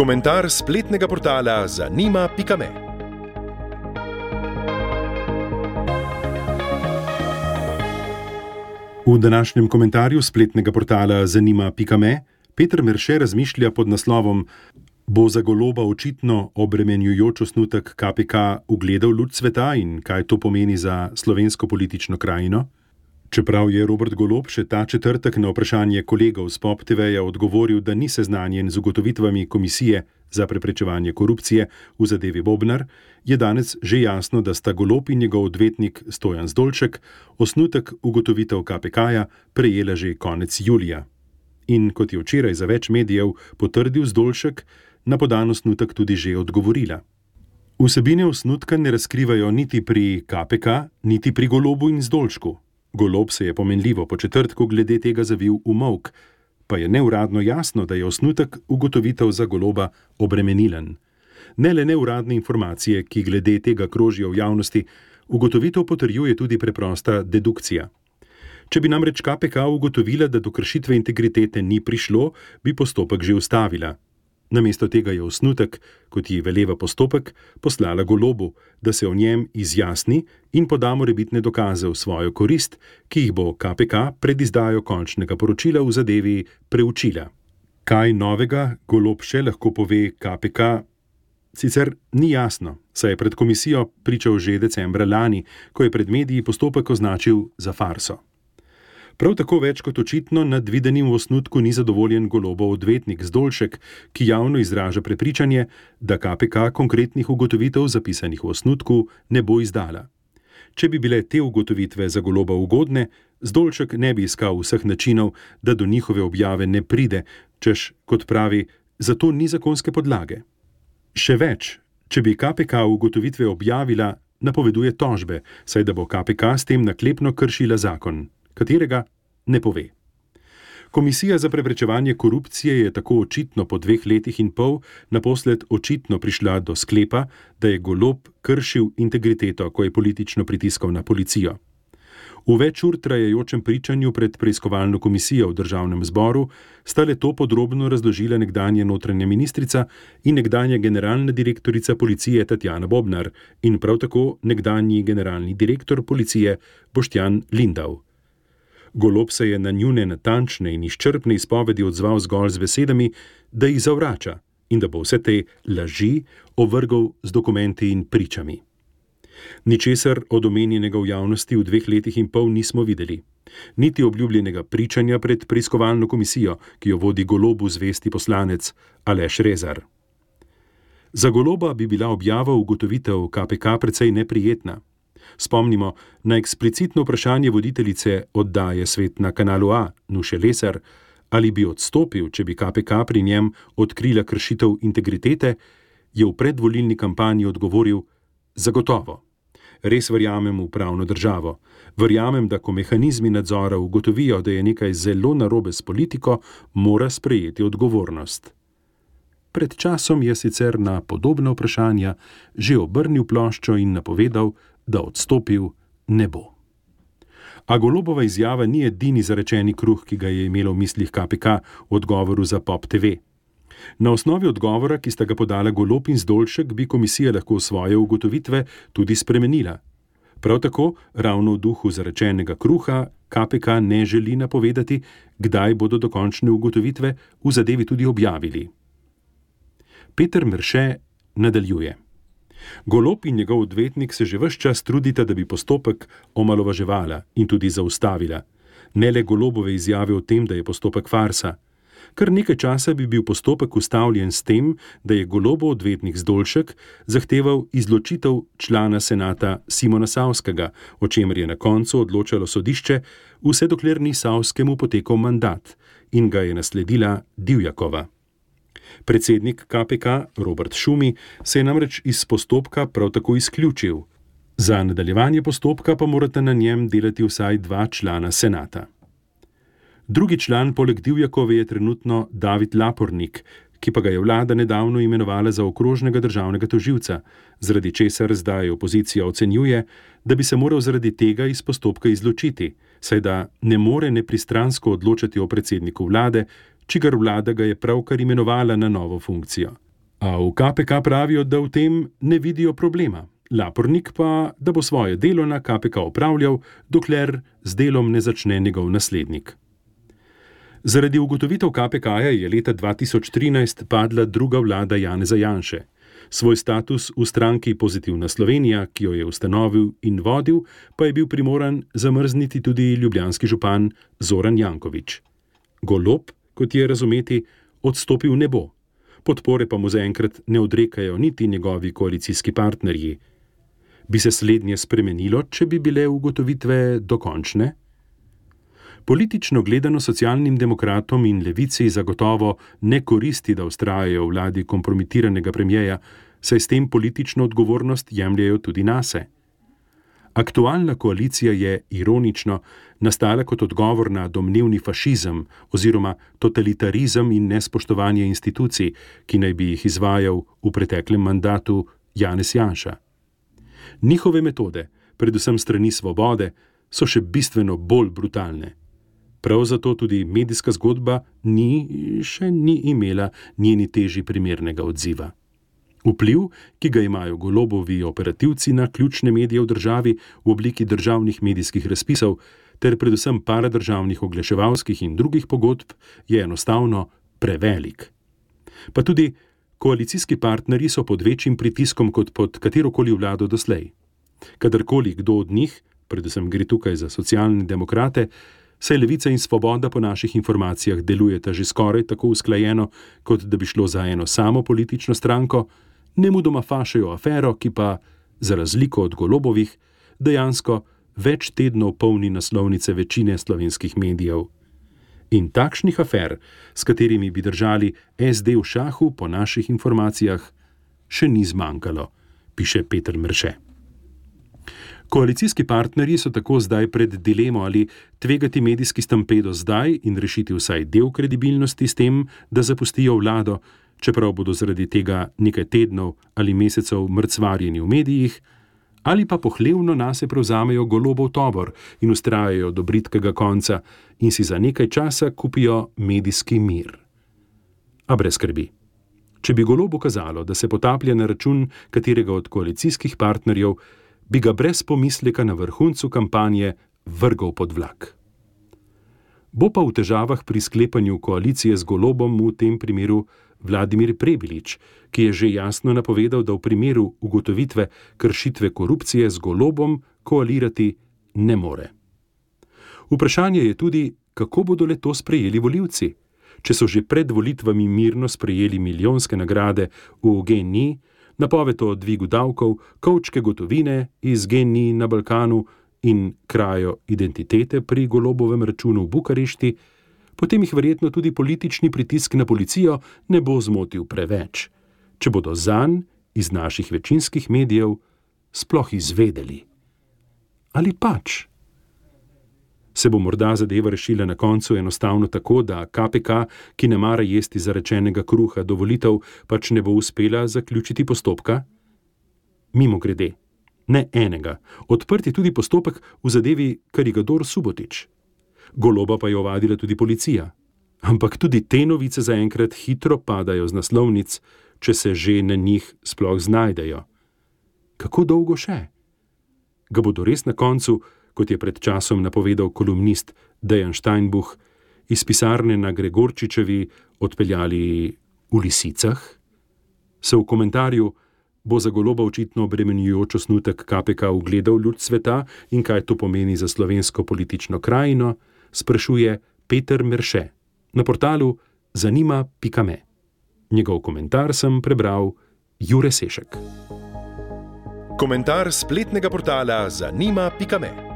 Komentar spletnega portala zanima.me. V današnjem komentarju spletnega portala zanima.me Peter Merše razmišlja pod naslovom: Bo za Goloba očitno obremenjujoč osnutek KPK ugledal luč sveta in kaj to pomeni za slovensko politično krajino? Čeprav je Robert Golob še ta četrtek na vprašanje kolegov z POP TV-ja odgovoril, da ni seznanjen z ugotovitvami Komisije za preprečevanje korupcije v zadevi Bobnar, je danes že jasno, da sta Golob in njegov odvetnik Stojan Zdolšek osnutek ugotovitev KPK-ja prejela že konec julija. In kot je včeraj za več medijev potrdil Zdolšek, na podan osnutek tudi že odgovorila. Vsebine osnutka ne razkrivajo niti pri KPK, niti pri Golobu in Zdolšku. Golob se je pomenljivo po četrtku glede tega zavil v molk, pa je neuradno jasno, da je osnutek ugotovitev za Goloba obremenilen. Ne le neuradne informacije, ki glede tega krožijo v javnosti, ugotovitev potrjuje tudi preprosta dedukcija. Če bi namreč KPK ugotovila, da do kršitve integritete ni prišlo, bi postopek že ustavila. Namesto tega je osnutek, kot ji veleva postopek, poslala Golobu, da se o njem izjasni in poda morebitne dokaze v svojo korist, ki jih bo KPK pred izdajo končnega poročila v zadevi preučila. Kaj novega Golob še lahko pove KPK, sicer ni jasno, saj je pred komisijo pričal že decembra lani, ko je pred mediji postopek označil za farso. Prav tako več kot očitno nad videnim v osnutku ni zadovoljen Golobov odvetnik Zdolšek, ki javno izraža prepričanje, da KPK konkretnih ugotovitev zapisanih v osnutku ne bo izdala. Če bi bile te ugotovitve za Goloba ugodne, Zdolšek ne bi iskal vseh načinov, da do njihove objave ne pride, češ, kot pravi, zato ni zakonske podlage. Še več, če bi KPK ugotovitve objavila, napoveduje tožbe, saj da bo KPK s tem naklepno kršila zakon, katerega ne pove. Komisija za preprečevanje korupcije je tako očitno po 2 letih in pol naposled očitno prišla do sklepa, da je Golob kršil integriteto, ko je politično pritiskal na policijo. V več ur trajajočem pričanju pred preiskovalno komisijo v Državnem zboru sta le to podrobno razložila nekdanja notranja ministrica in nekdanja generalna direktorica policije Tatjana Bobnar in prav tako nekdanji generalni direktor policije Boštjan Lindav. Golob se je na njune natančne in izčrpne izpovedi odzval zgolj z besedami, da jih zavrača in da bo vse te laži ovrgal z dokumenti in pričami. Ničesar od omenjenega v javnosti v 2 letih in pol nismo videli. Niti obljubljenega pričanja pred preiskovalno komisijo, ki jo vodi Golobu zvesti poslanec Aleš Rezar. Za Goloba bi bila objava ugotovitev KPK precej neprijetna. Spomnimo na eksplicitno vprašanje voditeljice oddaje Svet na Kanalu A, Nuše Lesar, ali bi odstopil, če bi KPK pri njem odkrila kršitev integritete, je v predvolilni kampanji odgovoril: zagotovo. Res verjamem v pravno državo. Verjamem, da ko mehanizmi nadzora ugotovijo, da je nekaj zelo narobe s politiko, mora sprejeti odgovornost. Pred časom je sicer na podobna vprašanja že obrnil ploščo in napovedal, da odstopil ne bo. A Golobova izjava ni edini zarečeni kruh, ki ga je imelo v mislih KPK v odgovoru za POP TV. Na osnovi odgovora, ki sta ga podala Golob in Zdolšek, bi komisija lahko svoje ugotovitve tudi spremenila. Prav tako, ravno v duhu zarečenega kruha, KPK ne želi napovedati, kdaj bodo dokončne ugotovitve v zadevi tudi objavili. Peter Merše nadaljuje. Golob in njegov odvetnik se že ves čas trudita, da bi postopek omalovaževala in tudi zaustavila. Ne le Golobove izjave o tem, da je postopek farsa. Kar nekaj časa bi bil postopek ustavljen s tem, da je Golobov odvetnik Zdolšek zahteval izločitev člana senata Simona Savskega, o čemer je na koncu odločalo sodišče, vse dokler ni Savskemu potekal mandat in ga je nasledila Divjakova. Predsednik KPK Robert Šumi se je namreč iz postopka prav tako izključil. Za nadaljevanje postopka pa morata na njem delati vsaj 2 člana senata. Drugi član poleg Divjakove je trenutno David Lapornik, ki pa ga je vlada nedavno imenovala za okrožnega državnega tožilca, zaradi česar zdaj opozicija ocenjuje, da bi se moral zaradi tega iz postopka izločiti, saj da ne more nepristransko odločati o predsedniku vlade, čigar vlada ga je pravkar imenovala na novo funkcijo. A v KPK pravijo, da v tem ne vidijo problema. Lapornik pa, da bo svoje delo na KPK opravljal, dokler z delom ne začne njegov naslednik. Zaradi ugotovitev KPK-ja je leta 2013 padla druga vlada Janeza Janše. Svoj status v stranki Pozitivna Slovenija, ki jo je ustanovil in vodil, pa je bil primoran zamrzniti tudi ljubljanski župan Zoran Janković. Golob, kot je razumeti, odstopil ne bo. Podpore pa mu zaenkrat ne odrekajo niti njegovi koalicijski partnerji. Bi se slednje spremenilo, če bi bile ugotovitve dokončne? Politično gledano socialnim demokratom in levici zagotovo ne koristi, da vztrajajo v vladi kompromitiranega premierja, saj s tem politično odgovornost jemljejo tudi nase. Aktualna koalicija je, ironično, nastala kot odgovor na domnevni fašizem oziroma totalitarizem in nespoštovanje institucij, ki naj bi jih izvajal v preteklem mandatu Janez Janša. Njihove metode, predvsem strani Svobode, so še bistveno bolj brutalne. Prav zato tudi medijska zgodba še ni imela njeni teži primernega odziva. Vpliv, ki ga imajo Golobovi operativci na ključne medije v državi v obliki državnih medijskih razpisov ter predvsem paradržavnih oglaševalskih in drugih pogodb, je enostavno prevelik. Pa tudi koalicijski partnerji so pod večjim pritiskom kot pod katerokoli vlado doslej. Kadarkoli kdo od njih, predvsem gre tukaj za socialne demokrate, saj Levica in Svoboda po naših informacijah delujeta že skoraj tako usklajeno, kot da bi šlo za eno samo politično stranko, nemudoma fašejo afero, ki pa, za razliko od Golobovih, dejansko več tednov polni naslovnice večine slovenskih medijev. In takšnih afer, s katerimi bi držali SD v šahu, po naših informacijah, še ni zmanjkalo, piše Peter Merše. Koalicijski partnerji so tako zdaj pred dilemo, ali tvegati medijski stampedo zdaj in rešiti vsaj del kredibilnosti s tem, da zapustijo vlado, čeprav bodo zaradi tega nekaj tednov ali mesecev mrcvarjeni v medijih, ali pa pohlevno nase prevzamejo Golobov tovor in vztrajajo do bridkega konca in si za nekaj časa kupijo medijski mir. A brez skrbi. Če bi Golobu kazalo, da se potaplja na račun katerega od koalicijskih partnerjev, bi ga brez pomisleka na vrhuncu kampanje vrgel pod vlak. Bo pa v težavah pri sklepanju koalicije z Golobom v tem primeru Vladimir Prebilič, ki je že jasno napovedal, da v primeru ugotovitve kršitve korupcije z Golobom koalirati ne more. Vprašanje je tudi, kako bodo le to sprejeli volivci, če so že pred volitvami mirno sprejeli milijonske nagrade v GEN-I, napoved o dvigu davkov, kovčke gotovine iz GEN-I na Balkanu in krajo identitete pri Golobovem računu v Bukarešti, potem jih verjetno tudi politični pritisk na policijo ne bo zmotil preveč, če bodo zanj iz naših večinskih medijev sploh izvedeli. Ali pač? Se bo morda zadeva rešila na koncu enostavno tako, da KPK, ki ne mara jesti zarečenega kruha do volitev, pač ne bo uspela zaključiti postopka? Mimogrede, ne enega, odprt je tudi postopek v zadevi Karigador Subotić. Goloba pa je ovadila tudi policija. Ampak tudi te novice zaenkrat hitro padajo z naslovnic, če se že na njih sploh znajdejo. Kako dolgo še? Ga bodo res na koncu, kot je pred časom napovedal kolumnist Dejan Steinbuch, iz pisarne na Gregorčičevi odpeljali v lisicah? Se v komentarju bo za Goloba očitno obremenjujoč osnutek KPK ugledal luč sveta in kaj to pomeni za slovensko politično krajino, sprašuje Peter Merše na portalu zanima.me. Njegov komentar sem prebral Jure Sešek. Komentar spletnega portala zanima.me.